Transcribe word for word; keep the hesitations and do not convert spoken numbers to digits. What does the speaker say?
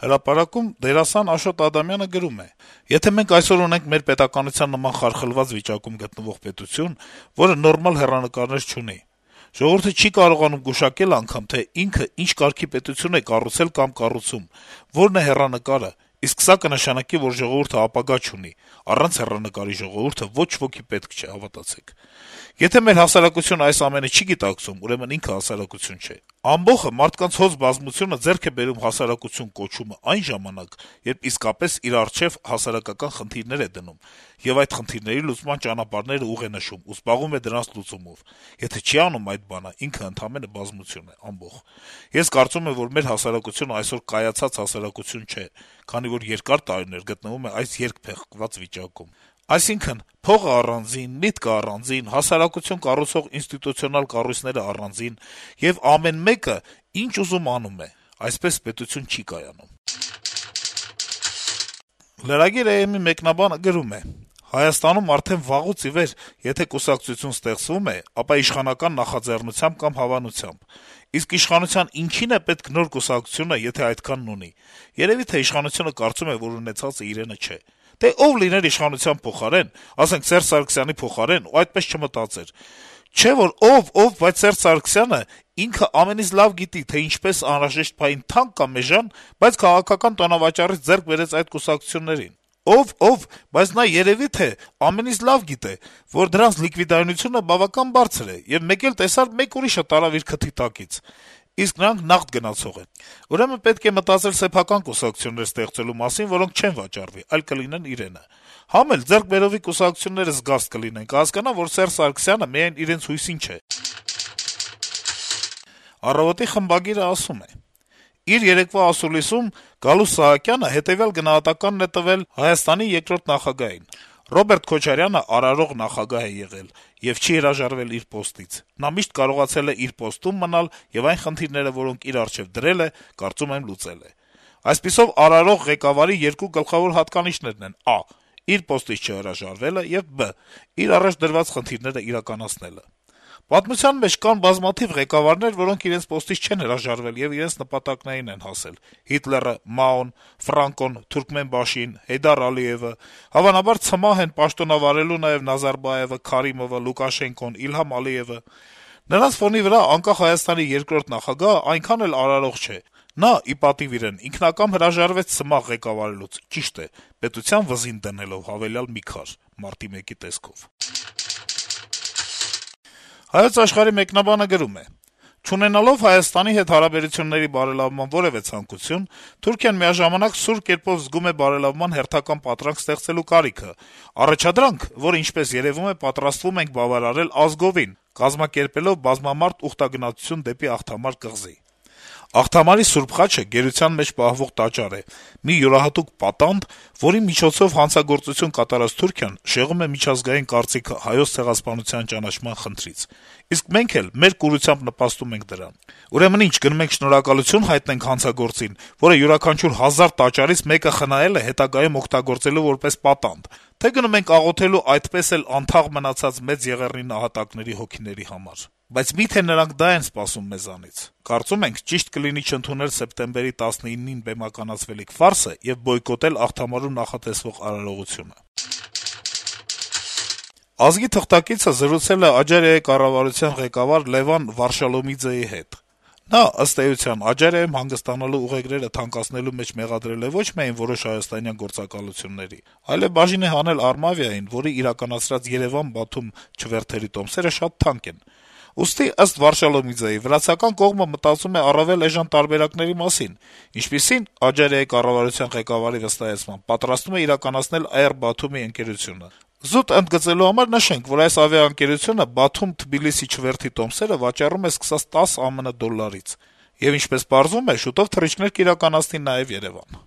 Հրապարակում դերասան Աշոտ Ադամյանը գրում է. - «Եթե մենք այսօր ունենք մեր պետականության նման խարխլված վիճակում գտնվող պետություն, որը նորմալ հեռանկարներ չունի, ժողովուրդը չի կարողանում գուշակել անգամ, թե ինքը ինչ կարգի պետություն է կառուցել կամ կառուցում, որն է հեռանկարը, իսկ սա կնշանակի, որ ժողովուրդը ապագա չունի, առանց հեռանկարի ժողովուրդը ոչ ոքի պետք չէ, հավատացեք: Եթե մեր հասարակությունը այս ամենը չի գիտակցում, ուրեմն ինքը հասարակություն չէ: Ամբոխը մարդկանց հոծ բազմությունը ձեռք է բերում հասարակություն կոչումը այն ժամանակ, երբ իսկապես իր առջեւ հասարակական խնդիրներ է դնում, եւ այդ խնդիրների լուծման ճանապարհները ուղ է նշում ու զբաղվում է դրանց լուծումով: Եթե չի անում այդ բանը, ինքը ընդամենը բազմություն է, ամբոխ: Ես կարծում եմ, որ մեր հասարակությունը այսօր կայացած հասարակություն չէ, քանի որ երկար տարիներ գտնվում է այս երկփեղկված վիճակում: Այսինքն` փողը առանձին, միտքը առանձին, հասարակություն կառուցող ինստիտուցիոնալ կառույցները առանձին, եւ ամեն մեկը ինչ ուզում անում է: Այսպես պետություն չի կայանում»: Lragir.am-ի մեկնաբանը գրում է. - «Հայաստանում արդեն վաղուց ի վեր եթե կուսակցություն ստեղծվում է, ապա իշխանական նախաձեռնությամբ կամ հավանությամբ: Իսկ իշխանության ինչի՞ն է պետք նոր կուսակցությունը, եթե այդքանն ունի: Երեւի թե իշխանությունը կարծում է, որ ունեցածը իրենը չէ: Դե ով լիներ իշխանության փոխարեն, ասենք Սերժ Սարգսյանի փոխարեն ու այդպես չմտածեր: Չէ՞ որ ով, ով, բայց Սերժ Սարգսյանը ինքը ամենից լավ գիտի, թե ինչպես անհրաժեշտ պահին թանկ կամ էժան, բայց քաղաքական տոնավաճառից ձեռք բերեց այդ կուսակցություններին: Ով, ով, բայց նա երեւի թե ամենից լավ գիտե, որ դրանց լիկվիդայունությունը բավական բարձր է, եւ մեկ էլ տեսար մեկ ուրիշը տարավ իր քթի տակից: Իսկ նրանք նաղդ գնացող են: Ուրեմն պետք է մտածել սեփական կուսակցություններ ստեղծելու մասին, որոնք չեն վաճառվի, այլ կլինեն իրենը: Համ էլ ձեռքբերովի կուսակցությունները զգաստ կլինեն, կհասկանան, որ Սերժ Սարգսյանը միայն իրենց հույսին չէ»: «Առավոտ»-ի խմբագիրը ասում է. - «Իր երեկվա ասուլիսում Գալուստ Սահակյանը հետեւյալ գնահատականն է տվել Հայաստանի երկրորդ նախագահին. «Ռոբերտ Քոչարյանը արարող նախագահ է եղել եւ չի հրաժարվել իր պոստից: Նա միշտ կարողացել է իր պոստում մնալ եւ այն խնդիրները, որոնք իր առջեւ դրել է, կարծում եմ, լուծել է: Այսպիսով, արարող ղեկավարի երկու գլխավոր հատկանիշներն են. ա. իր պոստից չհրաժարվելը եւ բ. իր առաջ դրված խնդիրները իրականացնելը: Պատմության մեջ կան բազմաթիվ ղեկավարներ, որոնք իրենց պոստից չեն հրաժարվել եւ իրենց նպատակներին են հասել: Հիտլերը, Մաոն, Ֆրանկոն, Թուրքմենբաշին, Հեյդար Ալիեւը, հավանաբար ցմահ են պաշտոնավարելու նաեւ Նազարբաեւը, Քարիմովը, Լուկաշենկոն, Իլհամ Ալիեւը: Նրանց ֆոնի վրա անկախ Հայաստանի երկրորդ նախագահը այնքան էլ արարող չէ: Նա, ի պատիվ իրեն, ինքնակամ հրաժարվեց ցմահ ղեկավարելուց, ճիշտ է, պետության վզին դնելով հավելյալ մի քար` մարտի մեկի տեսքով»: «Հայոց Աշխարհ»-ի մեկնաբանը գրում է. - «Չունենալով Հայաստանի հետ հարաբերությունների բարելավման որեւէ ցանկություն, Թուրքիան միաժամանակ սուր կերպով զգում է բարելավման հերթական պատրանք ստեղծելու կարիքը, առաջադրանք, որը, ինչպես երեւում է, պատրաստվում ենք բավարարել ազգովին` կազմակերպելով բազմամարդ ուխտագնացություն դեպի Աղթամար կղզի: Աղթամարի Սուրբ Խաչը գերության մեջ պահվող տաճար է, մի յուրահատուկ պատանդ, որի միջոցով հանցագործություն կատարած Թուրքիան շեղում է միջազգային կարծիքը Հայոց ցեղասպանության ճանաչման խնդրից: Իսկ մենք էլ մեր կուրությամբ նպաստում ենք դրան: Ուրեմն ի՞նչ, գնում ենք շնորհակալություն հայտնենք հանցագործին, որը յուրաքանչյուր հազար տաճարից մեկը խնայել է հետագայում օգտագործելու որպես պատանդ, թե՞ գնում ենք աղոթելու այդպես էլ անթաղ մնացած Մեծ Եղեռնի նահատակների հոգիների համար: Բայց մի՞թե նրանք դա են սպասում մեզանից: Կարծում ենք, ճիշտ կլինի չընդունել սեպտեմբերի տասնինին բեմականացվելիք ֆարսը եւ բոյկոտել Աղթամարում նախատեսվող արարողությունը»: «Ազգ»-ի թղթակիցը զրուցել է Աջարիայի կառավարության ղեկավար Լևան Վարշալոմիձեի հետ: Նա, ըստ էության, Աջարիայում հանգստանալու ուղեգրերը թանկացնելու մեջ մեղադրել է ոչ միայն որոշ հայաստանյան գործակալությունների, այլեւ բաժին է հանել Արմավիային, որի իրականացրած Երեւան-Բաթում չվերթերի տոմսերը շատ թանկ են: Ուստի, ըստ Վարշալոմիձեի, վրացական կողմը մտածում է առավել էժան տարբերակների մասին, ինչպիսին, Աջարիայի կառավարության ղեկավարի վստահեցմամբ, պատրաստվում է իրականացնել Air Batum-ի ընկերությունը: Զուտ ընդգծելու համար նշենք, որ այս ավիաընկերությունը Բաթում-Թբիլիսի չվերթի տոմսերը վաճառում է սկսած տասը ԱՄՆ դոլարից: Եվ ինչպես պարզվում է, շուտով թռիչքներ կիրականացնի նաեւ Երեւան: